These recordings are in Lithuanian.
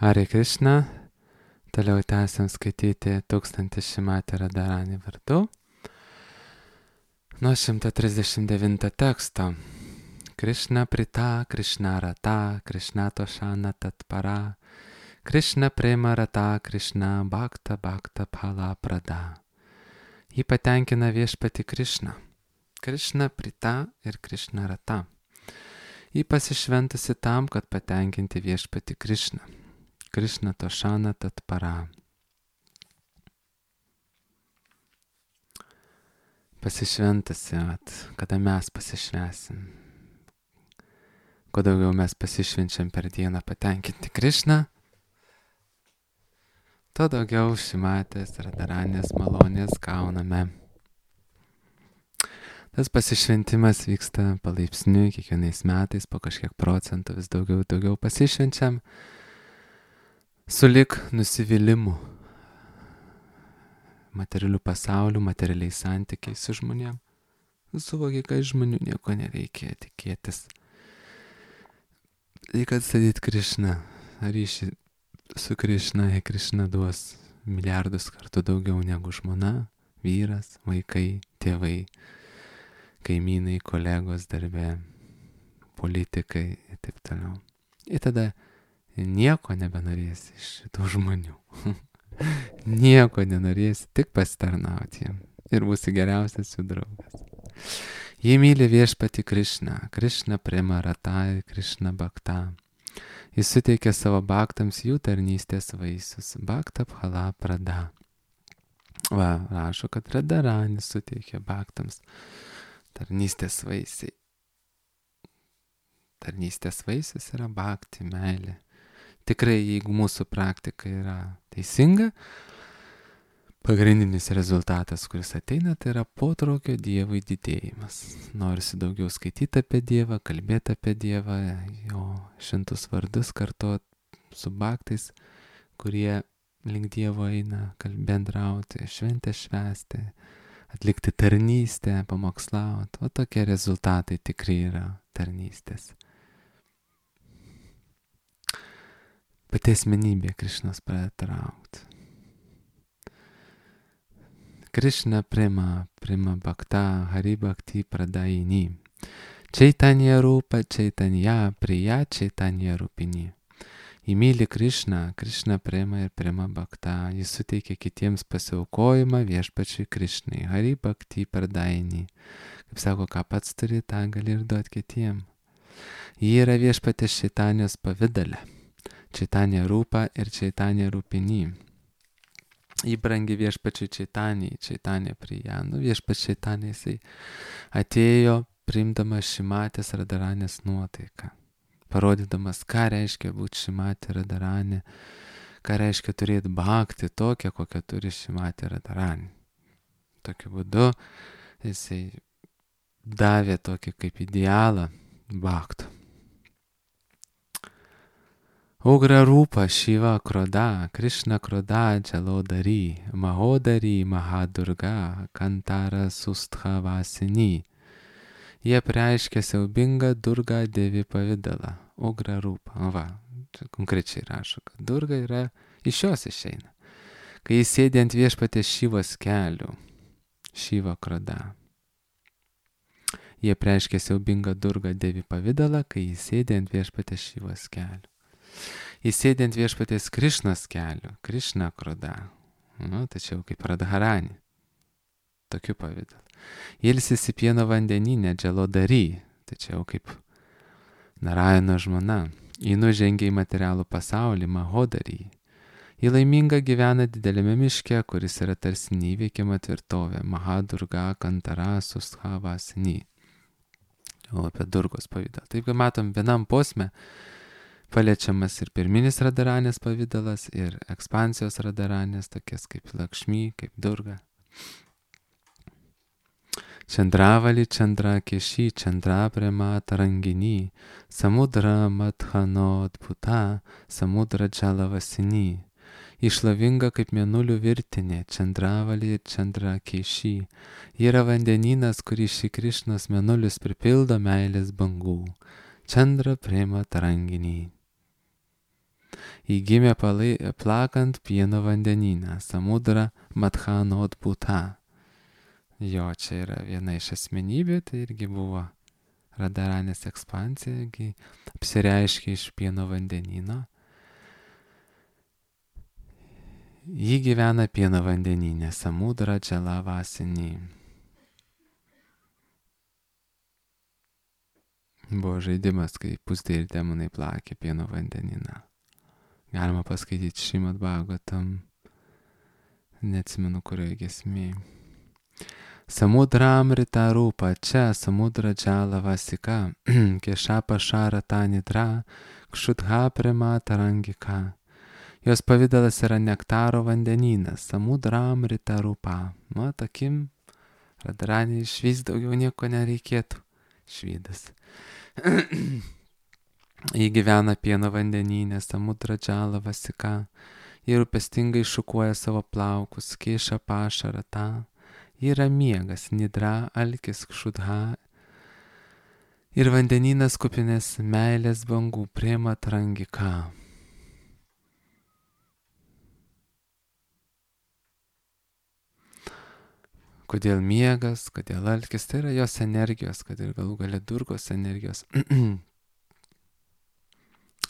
Hare Krishna, toliau tęsiam skaityti 1000 Šimati Radharani vardu. Nuo 139 teksto. Krishna Prita, Krishna Rata, Krishna Toshana Tatpara, Krishna Prema Rata, Krishna Bhakta Bhakta Phala Prada. Jį patenkina viešpati Krishna. Krishna Prita ir Krishna Rata. Jį pasišventusi tam, kad patenkinti viešpati Krishna. Krishna Toshana Tatpara. Pasišventusi, kada mes pasišvesim. Kuo daugiau mes pasišvenčiam per dieną patenkinti Krishną, tuo daugiau Šimatės Radharanės malonės gauname. Tas pasišventimas vyksta palaipsniui, kiekvienais metais po kažkiek procentų vis daugiau pasišvenčiam, sulig nusivylimu materialių pasaulių, materialiais santykiais su žmonėm. Suvokia, kad žmonių nieko nereikia tikėtis. Reikia atstatyti Krishną, ryšį su Krishna, jei Krishna duos milijardus kartų daugiau negu žmona, vyras, vaikai, tėvai, kaimynai, kolegos darbe, politikai ir taip toliau. Ir tada nieko nebenorėsi iš šitų žmonių. Nieko nenorėsi, tik pasitarnauti jiem. Ir būsi geriausias jų draugas. Jį myli viešpati Krishna, Krishna Prema Rata, Krishna Bhakta. Jis suteikia savo bhaktams jų tarnystės vaisius, Bhakta Phala Prada. Va, rašo, kad Radharani suteikia bhaktams tarnystės vaisiai. Tarnystės vaisius yra bhakti, meilė. Tikrai, jeigu mūsų praktika yra teisinga, pagrindinis rezultatas, kuris ateina, tai yra potraukio Dievui didėjimas. Norisi daugiau skaityti apie Dievą, kalbėti apie Dievą, jo šventus vardus kartot su bhaktais, kurie link Dievo eina, bendrauti, šventę švęsti, atlikti tarnystę, pamokslauti. O tokie rezultatai tikrai yra tarnystės. Pati asmenybė Krishnos pradeda traukti. Krishna Prema, Prema Bhakta, Hari Bhakti Pradaini. Chaitanya Rupa, Chaitanya Priya, Chaitanya Rupini. Įmyli Krishna, Krishna Prema ir Prema Bhakta. Jis suteikia kitiems pasiaukojimą viešpačiui Krishnai. Hari Bhakti Pradaini. Kaip sako, ką pats turi, tą gali ir duoti kitiem. Ji yra viešpatės Čaitanijos pavidale. Chaitanya Rupa ir Chaitanya Rupini. Įbrangi viešpačiui Čaitanijai, Čaitanija Priya. Viešpačiui Čaitanija jisai atėjo priimdamas Šimatės Radharanės nuotaiką, parodydamas, ką reiškia būti Šimatė Radharanė, ką reiškia turėti bhakti tokią, kokią turi Šimatė Radharanė. Tokiu būdu jisai davė tokį kaip idealą bhaktų. Ugra Rupa Shiva Kroda, Krishna Kroda Jalodari, Mahodari Mahadurga, Kantara Susthavasini. Jie preiškia siaubingą Durga Devi pavidalą, Ugra Rupa. Va, čia konkrečiai rašo, kad Durga yra iš jos išeina. Kai jis sėdi ant viešpatės Šivos kelių, Shiva Kroda. Jie preiškia siaubingą Durga Devi pavidalą, kai jis sėdi ant viešpatės Šivos kelių. Jis sėdi ant viešpatės Krishnos kelių, Krishna Kroda, tačiau kaip Radharani, tokiu pavidalu. Ilsisi pieno vandeninė Jalodari, tačiau kaip Narayano žmona. Ji nužengia į materialų pasaulį Mahodari. Ji laiminga gyvena dideliame miške, kuris yra tarsi neįveikiama tvirtovė, Mahadurga Kantara Susthavasini. O apie Durgos pavidalą. Taip, kaip matom, vienam posme paliečiamas ir pirminis Radharanės pavidalas, ir ekspansijos Radharanės, tokias kaip Lakšmi, kaip Durga. Chandravali Chandra Keshi, Chandra Prema Tarangini, Samudra Madhanod Bhuta, Samudra Jalavasini. Išlavinga kaip mėnulių virtinė, Chandravali ir Chandra Keshi. Ji yra vandenynas, kurį šį Krishnos mėnulius pripildo meilės bangų. Chandra Prema Tarangini. Įgimė plakant pieno vandenyną, Samudra Madhanot Bhuta. Jo, čia yra viena iš asmenybių, tai irgi buvo Radharanės ekspansija, apsireiškė iš pieno vandenyno. Ji gyvena pieno vandenyne, Samudra Jalavasini. Buvo žaidimas, kai pusdai ir demonai plakė pieno vandenyną. Galima paskaityti Šrimad Bhagavatam, neatsimenu kurioje giesmėje. Samudramrita rūpa čia, Samudra Jalavasika, Kešapa Šarata Nidra, Kšudha Prema Tarangika. Jos pavidalas yra nektaro vandenynas, Samudramrita rūpa. Takim, Radharaniai išvys daugiau nieko nereikėtų. Švydas. Ji gyvena pieno vandenyne, Samudra Jalavasika. Ji rūpestingai šukuoja savo plaukus, Keša Pašarata. Ji yra miegas, Nidra, alkis, Kšudha. Ir vandenynas kupinės meilės bangų, Prema Tarangika. Kodėl miegas, kodėl alkis, tai yra jos energijos, kad ir galų gale Durgos energijos.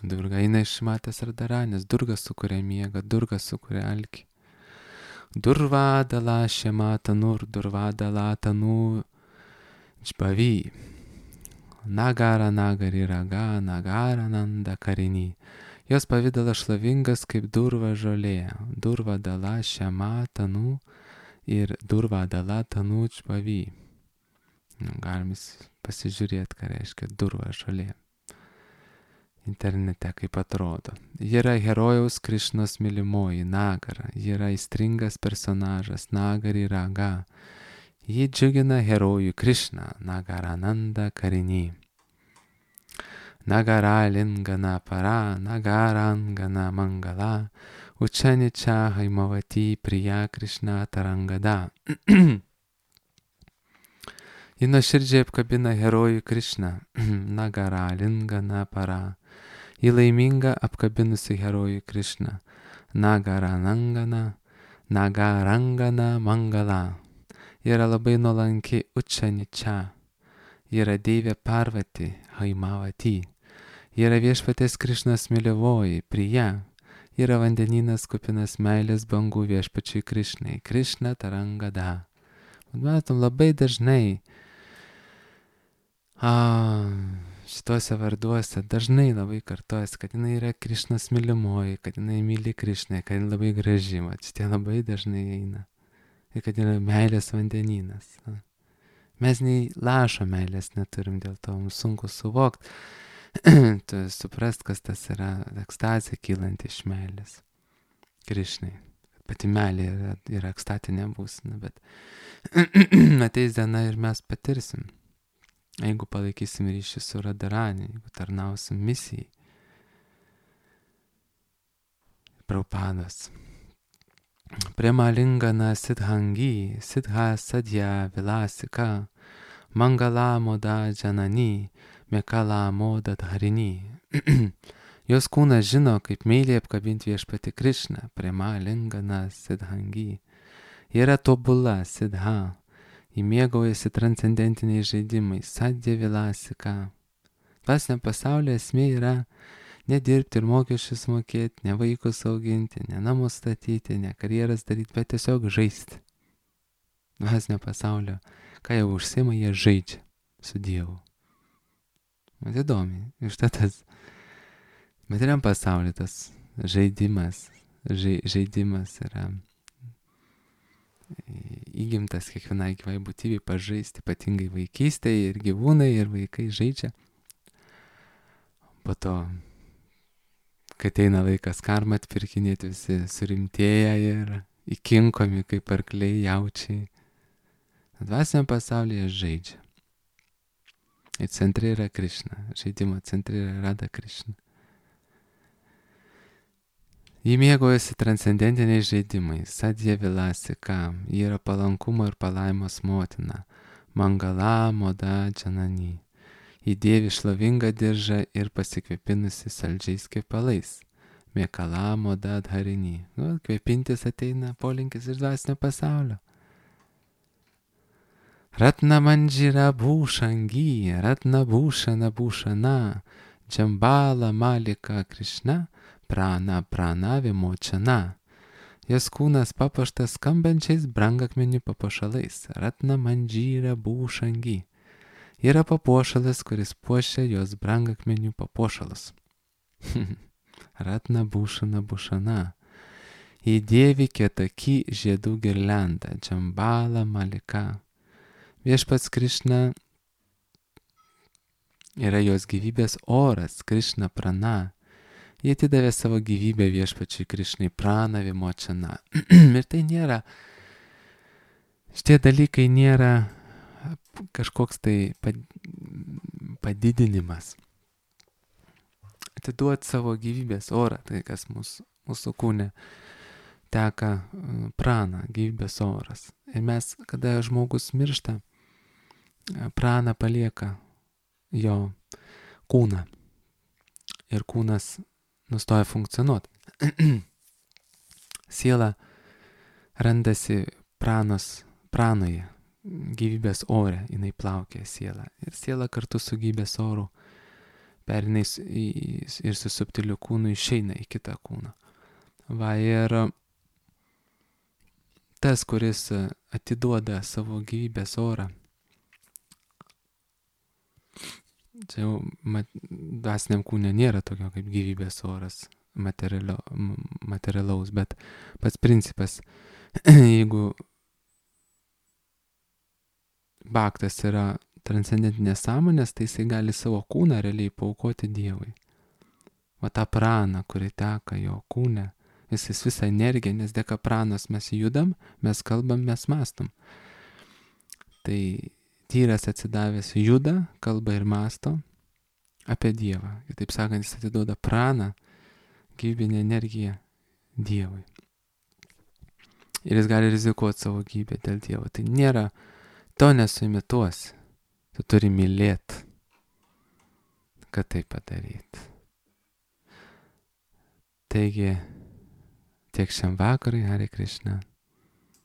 Durga eina iš Matės Radharanės, Durga sukuria miegą, Durga sukuria alkį. Durvadala Shematanur, Durvadala Tanu Čbavy. Nagara Nagari Raga, Nagara Nanda Karini. Jos pavidalas šlovingas kaip durva žolė, Durvadala Shematanu ir Durvadala Tanu Čbavy. Galim pasižiūrėti, ką reiškia durva žolė. Internete kaip atrodo. Ji yra herojaus Krišnos mylimoji, Nagara. Ji yra aistringas personažas, Nagari Raga. Ji džiugina herojų Krišną, Nagarananda Karini. Nagara Lingana Para, Nagarangana Mangala, Uchanicha Haimavati Priya Krishna Tarangada. Ji nuoširdžiai apkabina herojų Krišną, Nagara Lingana Para. Ji laiminga apkabinusi herojų Krišną, Nagarangana Mangala. Ji yra labai nuolanki Uchanicha. Ji yra deivė Parvati, Haimavati. Ji yra viešpaties Krišnos mylimoji, Priya. Ji yra vandenynas kupinas meilės bangų viešpačiui Krišnai, Krishna Tarangada. Matom, labai dažnai šituose varduose dažnai labai kartojasi, kad jinai yra Krišnos mylimoji, kad jinai myli Krišną, kad jinai labai graži, šitie labai dažnai eina. Ir kad yra meilės vandenynas. Mes nei lašo meilės neturim, dėl to mums sunku suvokti, suprast, kas tas yra ekstazė kylanti iš meilės Krišnai. Pati meilė yra ekstatinė būsena, bet ateis diena ir mes patirsim. Jeigu palaikysim ryšį su Radharani, jeigu tarnausim misijai. Prabhupadas. Prema Lingana Siddhangi, Siddha Sadhya Vilasika, Mangala Moda Janani, Mekala Moda Dharini. Jos kūnas žino, kaip meiliai apkabinti viešpatį Krišną, Prema Lingana Siddhangi. Ji yra tobula, Siddha. Ji mėgaujasi transcendentiniais žaidimais, Sadhya Vilasika. Dvasiniam pasaulyje esmė yra nedirbti ir mokesčius mokėti, ne vaikus auginti, ne namus statyti, ne karjeras daryti, bet tiesiog žaisti. Dvasinio pasaulio, ką jau užsiima, jie žaidžia su Dievu. Man įdomi, iš tas materiam pasaulyje tas žaidimas yra įgimtas kiekvienai gyvai būtybei pažaisti, ypatingai vaikystėje ir gyvūnai ir vaikai žaidžia. Po to, kai ateina laikas karmą atpirkinėti, visi surimtėja ir įkinkomi kaip arkliai, jaučiai. Dvasiniam pasaulyje žaidžia. Ir centre yra Krišna, žaidimo centre yra Radha Krišna. Ji mėgaujasi transcendentiniais žaidimais, Sadhya Vilasika, ji yra palankumo ir palaimos motina, Mangala Moda Janani. Ji dėvi šlovingą diržą ir pasikvėpinusi saldžiais kvepalais, Mekalamo dadharini. Nu, kvėpintis ateina polinkis iš dvasinio pasaulio. Ratna manjira bhushangi, ratna bhushana bhushana, džambala malika Krishna, prana prana vimočana. Jos kūnas papuoštas skambančiais brangakmenių papuošalais. Ratna manjira bhushangi. Yra papuošalas, kuris puošia jos brangakmenių papuošalus. Ratna bhushana bhushana. Įdėvi kietaki žiedų girliandą, džambala malika. Viešpats Krišna yra jos gyvybės oras, Krišna prana. Jie atidavė savo gyvybę viešpačiui Krišnai prana vimočana. Ir tai nėra, šitie dalykai nėra kažkoks tai padidinimas. Atiduoti savo gyvybės orą, tai kas mūsų kūne teka prana, gyvybės oras. Ir mes, kada žmogus miršta, prana palieka jo kūną. Ir kūnas nustoja funkcionuoti. Siela randasi pranoje, gyvybės ore, jinai plaukia siela. Ir siela kartu su gyvybės oru perina ir su subtiliu kūnu išeina į kitą kūną. Va, ir tas, kuris atiduoda savo gyvybės orą, čia jau dvasiniam kūne nėra tokio kaip gyvybės oras materialaus, bet pats principas, jeigu bhaktas yra transcendentinės sąmonės, tai jisai gali savo kūną realiai paaukoti Dievui. O tą praną, kuri teka jo kūne, jis visą energiją, nes dėka pranos mes judam, mes kalbam, mes mąstom. Tai tyras atsidavęs juda, kalba ir mąsto apie Dievą. Ir taip sakant, jis atiduoda praną, gyvybinę energiją Dievui. Ir jis gali rizikuoti savo gyvybę dėl Dievo. Tai nėra, to nesuimituosi. Tu turi mylėti, kad tai padaryti. Taigi, tiek šiam vakarui, Hare Krishna.